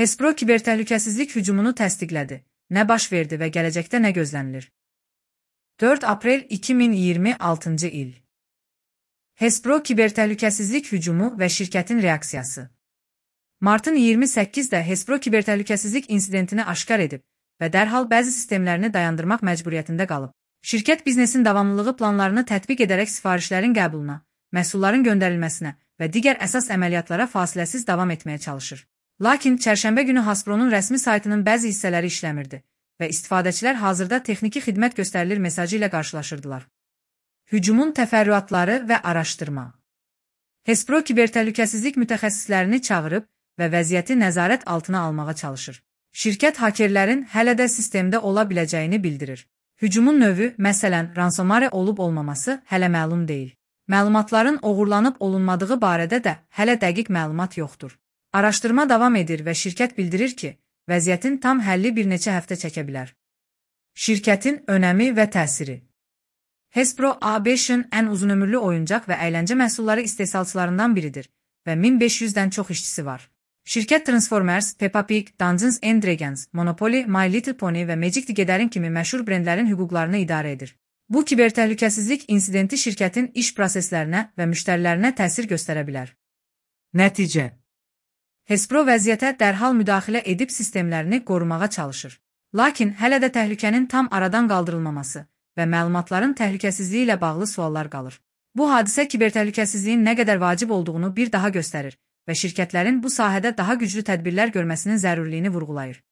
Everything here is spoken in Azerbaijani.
Hespro kibertəhlükəsizlik hücumunu təsdiqlədi. Nə baş verdi və gələcəkdə nə gözlənilir? 4 aprel 2026 il. Hespro kibertəhlükəsizlik hücumu və şirkətin reaksiyası. Martın 28-də Hespro kibertəhlükəsizlik insidentini aşkar edib və dərhal bəzi sistemlərini dayandırmaq məcburiyyətində qalıb. Şirkət biznesin davamlılığı planlarını tətbiq edərək sifarişlərin qəbuluna, məhsulların göndərilməsinə və digər əsas əməliyyatlara fasiləsiz davam etməyə çalışır. Lakin çərşənbə günü Hespronun rəsmi saytının bəzi hissələri işləmirdi və istifadəçilər hazırda texniki xidmət göstərilir mesajı ilə qarşılaşırdılar. Hücumun təfərrüatları və araşdırma. Hespro kibertəhlükəsizlik mütəxəssislərini çağırıb və vəziyyəti nəzarət altına almağa çalışır. Şirkət hakerlərin hələ də sistemdə ola biləcəyini bildirir. Hücumun növü, məsələn, ransomware olub-olmaması hələ məlum deyil. Məlumatların oğurlanıb olunmadığı barədə də hələ dəqiq məlumat yoxdur. Araşdırma davam edir və şirkət bildirir ki, vəziyyətin tam həlli bir neçə həftə çəkə bilər. Şirkətin önəmi və təsiri. Hespro ABŞ-ın ən uzunömürlü oyuncaq və əyləncə məhsulları istehsalçılarından biridir və 1500-dən çox işçisi var. Şirkət Transformers, Peppa Pig, Dungeons & Dragons, Monopoly, My Little Pony və Magic the Gathering kimi məşhur brendlərin hüquqlarını idarə edir. Bu kibertəhlükəsizlik insidenti şirkətin iş proseslərinə və müştərilərinə təsir göstərə bilər. Nəticə. Hespro vəziyyətə dərhal müdaxilə edib sistemlərini qorumağa çalışır. Lakin hələ də təhlükənin tam aradan qaldırılmaması və məlumatların təhlükəsizliyi ilə bağlı suallar qalır. Bu hadisə kibertəhlükəsizliyin nə qədər vacib olduğunu bir daha göstərir və şirkətlərin bu sahədə daha güclü tədbirlər görməsinin zərurliyini vurğulayır.